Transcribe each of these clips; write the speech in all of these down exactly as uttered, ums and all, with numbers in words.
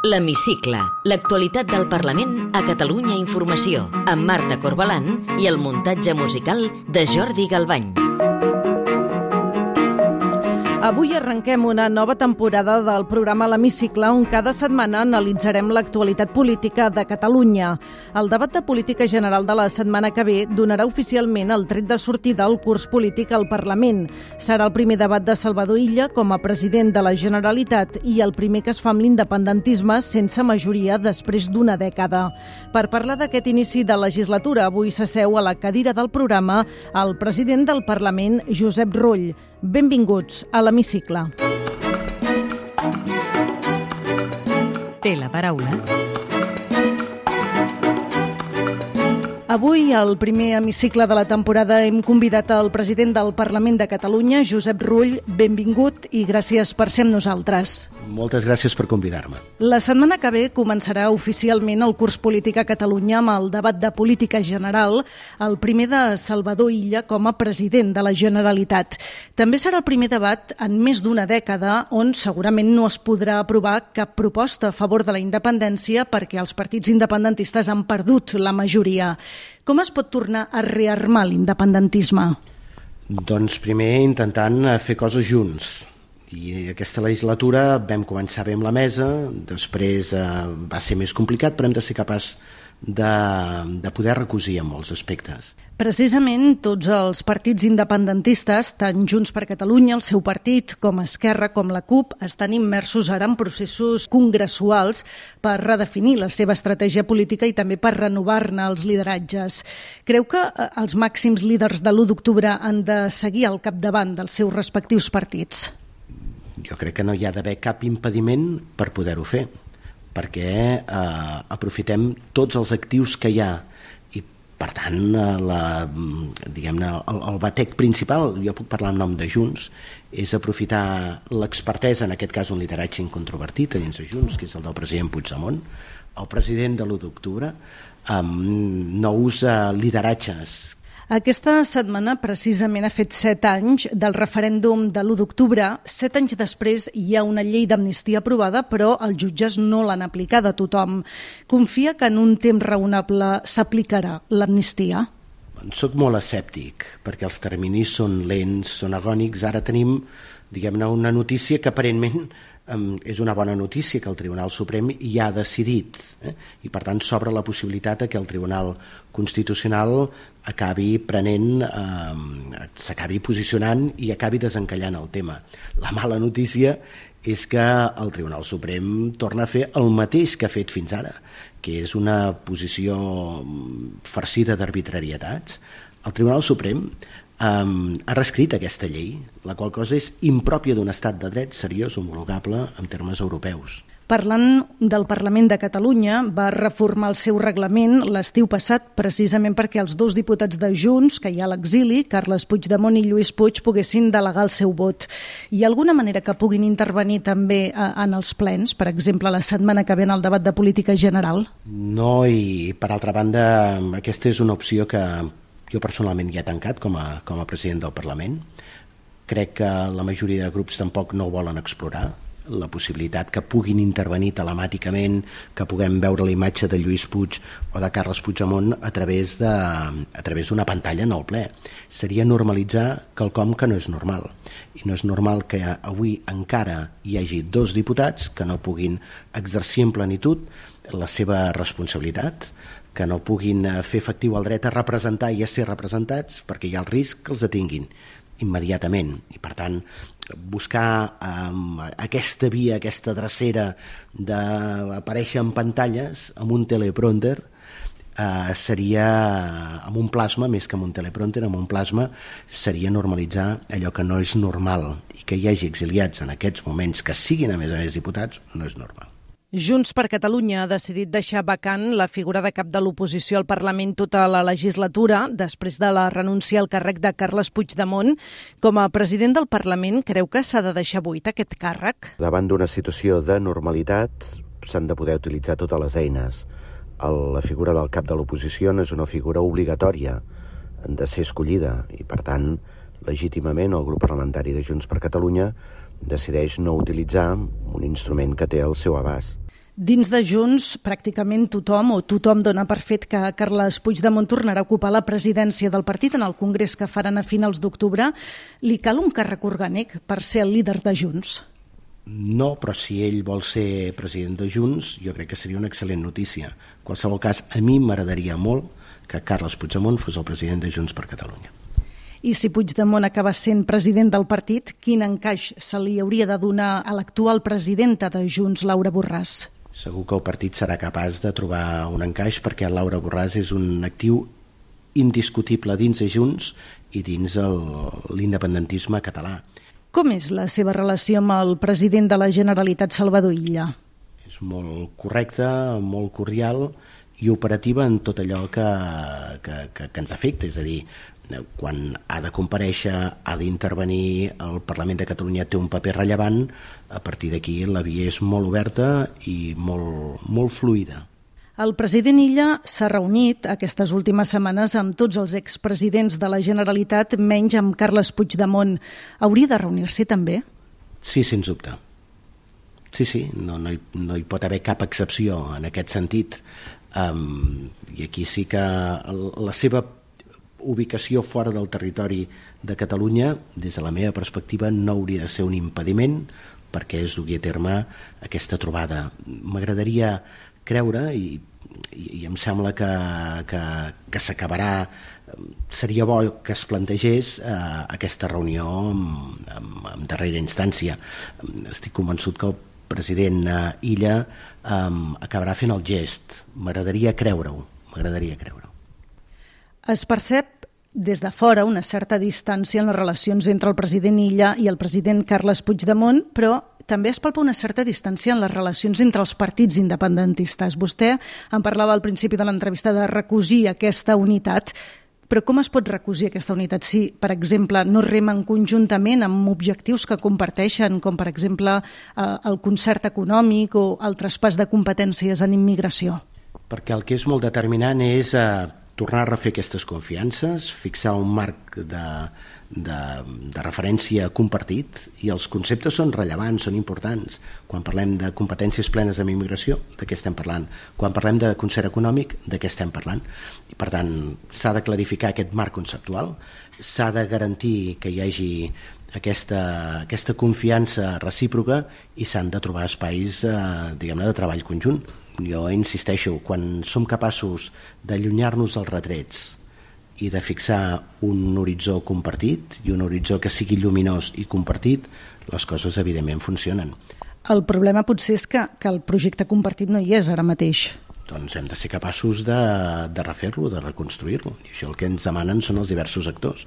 L'Hemicicle, l'actualitat del Parlament a Catalunya Informació, amb Marta Corbalán i el muntatge musical de Jordi Galvany. Avui arrenquem una nova temporada del programa L'Hemicicle, on cada setmana analitzarem l'actualitat política de Catalunya. El debat de política general de la setmana que ve donarà oficialment el tret de sortida al curs polític al Parlament. Serà el primer debat de Salvador Illa com a president de la Generalitat i el primer que es fa amb l'independentisme sense majoria després d'una dècada. Per parlar d'aquest inici de legislatura, avui s'asseu a la cadira del programa el president del Parlament, Josep Rull. Benvinguts a l'Hemicicle. Té la paraula. Avui, al primer hemicicle de la temporada, hem convidat el president del Parlament de Catalunya, Josep Rull. Benvingut i gràcies per ser amb nosaltres. Moltes gràcies per convidar-me. La setmana que ve començarà oficialment el curs polític a Catalunya amb el debat de política general, el primer de Salvador Illa com a president de la Generalitat. També serà el primer debat en més d'una dècada on segurament no es podrà aprovar cap proposta a favor de la independència perquè els partits independentistes han perdut la majoria. Com es pot tornar a rearmar l'independentisme? Doncs primer intentant fer coses junts. I aquesta legislatura vam començar bé amb la mesa, després eh, va ser més complicat, però hem de ser capaç de, de poder recosir en molts aspectes. Precisament tots els partits independentistes, tant Junts per Catalunya, el seu partit, com Esquerra, com la CUP, estan immersos ara en processos congressuals per redefinir la seva estratègia política i també per renovar-ne els lideratges. Creu que els màxims líders de l'u d'octubre han de seguir al capdavant dels seus respectius partits? Jo crec que no hi ha d'haver cap impediment per poder-ho fer, perquè eh, aprofitem tots els actius que hi ha i, per tant, la, diguem-ne, el, el batec principal, jo puc parlar en nom de Junts, és aprofitar l'expertesa, en aquest cas un lideratge incontrovertit a dins de Junts, que és el del president Puigdemont, el president de l'u d'octubre, amb nous lideratges. Aquesta setmana precisament ha fet set anys del referèndum de l'u d'octubre. Set anys després hi ha una llei d'amnistia aprovada, però els jutges no l'han aplicada a tothom. Confia que en un temps raonable s'aplicarà l'amnistia? Soc molt escèptic, perquè els terminis són lents, són agònics. Ara tenim, diguem-ne, una notícia que aparentment Um, és una bona notícia, que el Tribunal Suprem ja ha decidit, eh? I per tant s'obre la possibilitat que el Tribunal Constitucional acabi prenent, eh, s'acabi posicionant i acabi desencallant el tema. La mala notícia és que el Tribunal Suprem torna a fer el mateix que ha fet fins ara, que és una posició farcida d'arbitrarietats. El Tribunal Suprem Um, ha reescrit aquesta llei, la qual cosa és impròpia d'un estat de dret seriós, homologable en termes europeus. Parlant del Parlament de Catalunya, va reformar el seu reglament l'estiu passat precisament perquè els dos diputats de Junts, que hi ha a l'exili, Carles Puigdemont i Lluís Puig, poguessin delegar el seu vot. Hi ha alguna manera que puguin intervenir també en els plens, per exemple, la setmana que ve en el debat de política general? No, i per altra banda, aquesta és una opció que jo personalment ja he tancat com a, com a president del Parlament. Crec que la majoria de grups tampoc no volen explorar la possibilitat que puguin intervenir telemàticament, que puguem veure la imatge de Lluís Puig o de Carles Puigdemont a través de, a través d'una pantalla en el ple. Seria normalitzar quelcom que no és normal. I no és normal que avui encara hi hagi dos diputats que no puguin exercir en plenitud la seva responsabilitat, que no puguin fer efectiu el dret a representar i a ser representats perquè hi ha el risc que els detinguin immediatament. I, per tant, buscar um, aquesta via, aquesta drecera d'aparèixer en pantalles amb un teleprompter uh, seria, amb un plasma, més que amb un teleprompter, amb un plasma, seria normalitzar allò que no és normal. I que hi hagi exiliats en aquests moments, que siguin a més a més diputats, no és normal. Junts per Catalunya ha decidit deixar vacant la figura de cap de l'oposició al Parlament tota la legislatura després de la renúncia al càrrec de Carles Puigdemont. Com a president del Parlament, creu que s'ha de deixar buit aquest càrrec? Davant d'una situació de normalitat s'han de poder utilitzar totes les eines. La figura del cap de l'oposició no és una figura obligatòria de ser escollida i, per tant, legítimament el grup parlamentari de Junts per Catalunya decideix no utilitzar un instrument que té al seu abast. Dins de Junts, pràcticament tothom o tothom dona per fet que Carles Puigdemont tornarà a ocupar la presidència del partit en el congrés que faran a finals d'octubre. Li cal un càrrec orgànic per ser el líder de Junts? No, però si ell vol ser president de Junts, jo crec que seria una excel·lent notícia. En qualsevol cas, a mi m'agradaria molt que Carles Puigdemont fos el president de Junts per Catalunya. I si Puigdemont acaba sent president del partit, quin encaix se li hauria de donar a l'actual presidenta de Junts, Laura Borràs? Segur que el partit serà capaç de trobar un encaix perquè Laura Borràs és un actiu indiscutible dins de Junts i dins el, l'independentisme català. Com és la seva relació amb el president de la Generalitat, Salvador Illa? És molt correcta, molt cordial i operativa en tot allò que, que, que, que ens afecta, és a dir, quan ha de comparèixer, ha d'intervenir, el Parlament de Catalunya té un paper rellevant, a partir d'aquí la via és molt oberta i molt, molt fluida. El president Illa s'ha reunit aquestes últimes setmanes amb tots els expresidents de la Generalitat, menys amb Carles Puigdemont. Hauria de reunir-se també? Sí, sens dubte. Sí, sí, no, no, hi, no hi pot haver cap excepció en aquest sentit. Um, I aquí sí que la seva ubicació fora del territori de Catalunya, des de la meva perspectiva, no hauria de ser un impediment perquè es dugui a terme aquesta trobada. M'agradaria creure, i, i, i em sembla que, que, que s'acabarà, seria bo que es plantegés eh, aquesta reunió en, en, en darrera instància. Estic convençut que el president eh, Illa eh, acabarà fent el gest. M'agradaria creure-ho, m'agradaria creure-ho. Es percep des de fora una certa distància en les relacions entre el president Illa i el president Carles Puigdemont, però també es palpa una certa distància en les relacions entre els partits independentistes. Vostè en parlava al principi de l'entrevista de recosir aquesta unitat, però com es pot recosir aquesta unitat si, per exemple, no remen conjuntament amb objectius que comparteixen, com per exemple el concert econòmic o el traspàs de competències en immigració? Perquè el que és molt determinant és eh, tornar a refer aquestes confiances, fixar un marc de, de, de referència compartit, i els conceptes són rellevants, són importants. Quan parlem de competències plenes en immigració, de què estem parlant? Quan parlem de concert econòmic, de què estem parlant? I per tant, s'ha de clarificar aquest marc conceptual, s'ha de garantir que hi hagi aquesta, aquesta confiança recíproca i s'han de trobar espais eh, diguem-ne de treball conjunt. Jo insisteixo, quan som capaços d'allunyar-nos dels retrets i de fixar un horitzó compartit i un horitzó que sigui lluminós i compartit, les coses evidentment funcionen. El problema potser és que, que el projecte compartit no hi és ara mateix. Doncs hem de ser capaços de, de refer-lo, de reconstruir-lo. I això el que ens demanen són els diversos actors.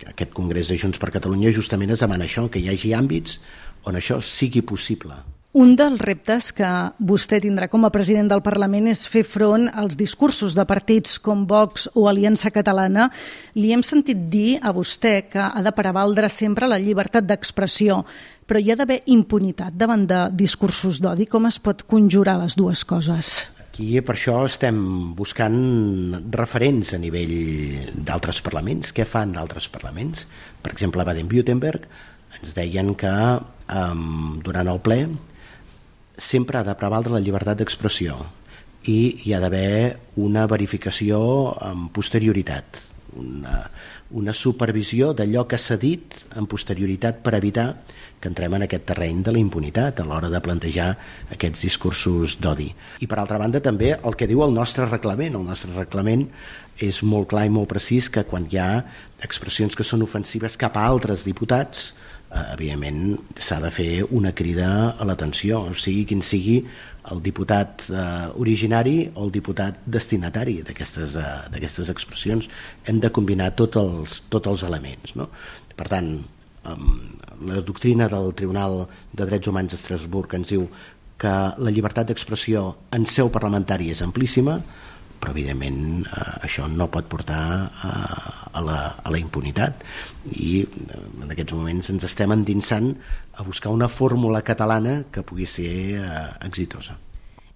Aquest Congrés de Junts per Catalunya justament es demana això, que hi hagi àmbits on això sigui possible. Un dels reptes que vostè tindrà com a president del Parlament és fer front als discursos de partits com Vox o Aliança Catalana. Li hem sentit dir a vostè que ha de prevaldre sempre la llibertat d'expressió, però hi ha d'haver impunitat davant de discursos d'odi. Com es pot conjurar les dues coses? Aquí per això estem buscant referents a nivell d'altres parlaments. Què fan d'altres parlaments? Per exemple, a Baden-Württemberg ens deien que um, durant el ple sempre ha de prevaldre la llibertat d'expressió i hi ha d'haver una verificació amb posterioritat, una, una supervisió d'allò que s'ha dit amb posterioritat per evitar que entrem en aquest terreny de la impunitat a l'hora de plantejar aquests discursos d'odi. I per altra banda també el que diu el nostre reglament. El nostre reglament és molt clar i molt precís que quan hi ha expressions que són ofensives cap a altres diputats, evidentment s'ha de fer una crida a l'atenció, o sigui quin sigui el diputat eh, originari o el diputat destinatari d'aquestes eh, d'aquestes expressions. Hem de combinar tots els, tots els elements, no? Per tant, eh, la doctrina del Tribunal de Drets Humans d'Estrasburg ens diu que la llibertat d'expressió en seu parlamentària és amplíssima, però evidentment eh, això no pot portar a, a, la, a la impunitat, i en aquests moments ens estem endinsant a buscar una fórmula catalana que pugui ser eh, exitosa.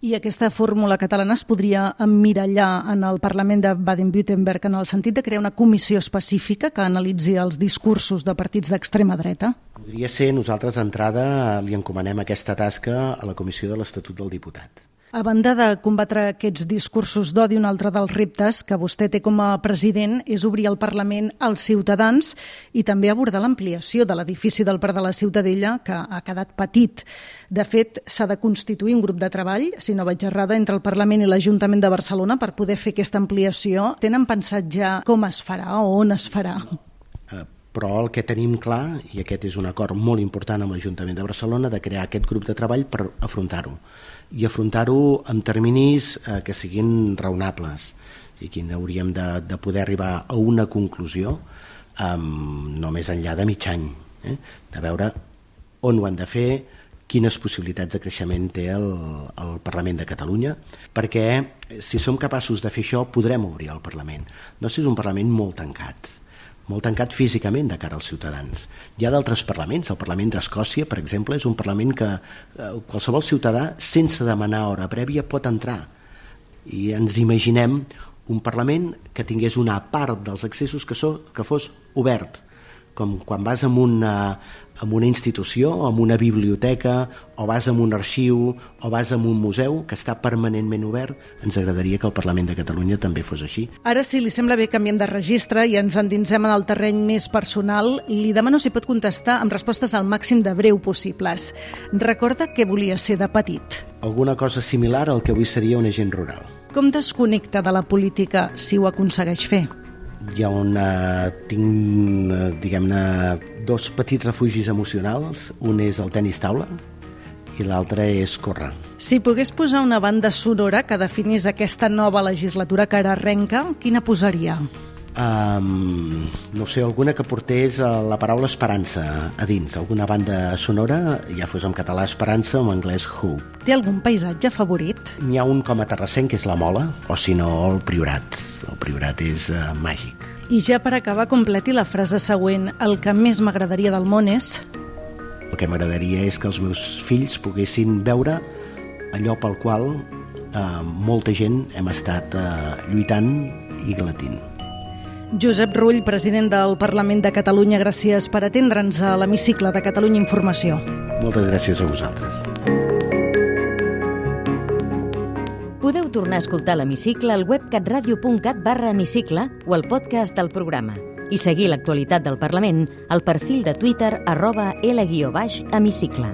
I aquesta fórmula catalana es podria emmirallar en el Parlament de Baden-Württemberg en el sentit de crear una comissió específica que analitzi els discursos de partits d'extrema dreta? Podria ser, nosaltres d'entrada li encomanem aquesta tasca a la Comissió de l'Estatut del Diputat. A banda de combatre aquests discursos d'odi, un altre dels reptes que vostè té com a president és obrir el Parlament als ciutadans i també abordar l'ampliació de l'edifici del Parc de la Ciutadella, que ha quedat petit. De fet, s'ha de constituir un grup de treball, si no vaig errada, entre el Parlament i l'Ajuntament de Barcelona per poder fer aquesta ampliació. Tenen pensat ja com es farà o on es farà? Uh, però el que tenim clar, i aquest és un acord molt important amb l'Ajuntament de Barcelona, de crear aquest grup de treball per afrontar-ho. I afrontar-ho amb terminis eh, que siguin raonables. O sigui, que hauríem de, de poder arribar a una conclusió um, no més enllà de mig any, eh? De veure on ho han de fer, quines possibilitats de creixement té el, el Parlament de Catalunya, perquè si som capaços de fer això podrem obrir el Parlament. No sé, és un Parlament molt tancat, molt tancat físicament de cara als ciutadans. Hi ha d'altres parlaments, el Parlament d'Escòcia, per exemple, és un Parlament que eh, qualsevol ciutadà, sense demanar hora prèvia, pot entrar. I ens imaginem un Parlament que tingués una part dels accessos que, so, que fos obert, com quan vas a una, a una institució, o a una biblioteca, o vas a un arxiu, o vas a un museu que està permanentment obert. Ens agradaria que el Parlament de Catalunya també fos així. Ara, si li sembla bé, canviem de registre i ens endinsem en el terreny més personal. Li demano si pot contestar amb respostes al màxim de breu possibles. Recorda què volia ser de petit? Alguna cosa similar al que avui seria un agent rural. Com desconnecta de la política si ho aconsegueix fer? Hi ha una, tinc, diguem-ne, dos petits refugis emocionals. Un és el tenis taula i l'altre és córrer. Si pogués posar una banda sonora que definís aquesta nova legislatura que ara arrenca, quina posaria? Um, no sé, alguna que portés la paraula esperança a dins, alguna banda sonora, ja fos en català esperança o en anglès hope. Té algun paisatge favorit? N'hi ha un com a terrassenc, que és la Mola, o si no el Priorat. El Priorat és uh, màgic. I ja per acabar, completi la frase següent. El que més m'agradaria del món és... El que m'agradaria és que els meus fills poguessin veure allò pel qual uh, molta gent hem estat uh, lluitant i glatint. Josep Rull, president del Parlament de Catalunya, gràcies per atendre'ns a l'hemicicle de Catalunya Informació. Moltes gràcies a vosaltres. Podeu tornar a escoltar l'hemicicle al web catradio punt cat barra hemicicle o al podcast del programa i seguir l'actualitat del Parlament al perfil de Twitter arroba L guió baix hemicicle.